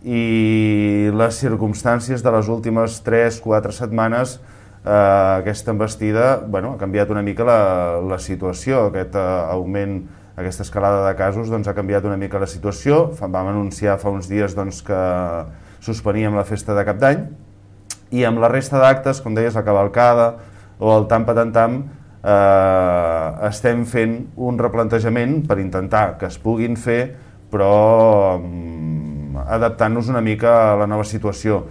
i les circumstàncies de les últimes 3-4 setmanes, aquesta embestida ha canviat una mica la situació. Aquest augment, aquesta escalada de casos ha canviat una mica la situació. Vam anunciar fa uns dies que suspeníem la festa de Cap d'Any, i amb la resta d'actes, com deies, la cavalcada o el tam-patam, estem fent un replantejament per intentar que es puguin fer, però adaptant-nos una mica a la nova situació.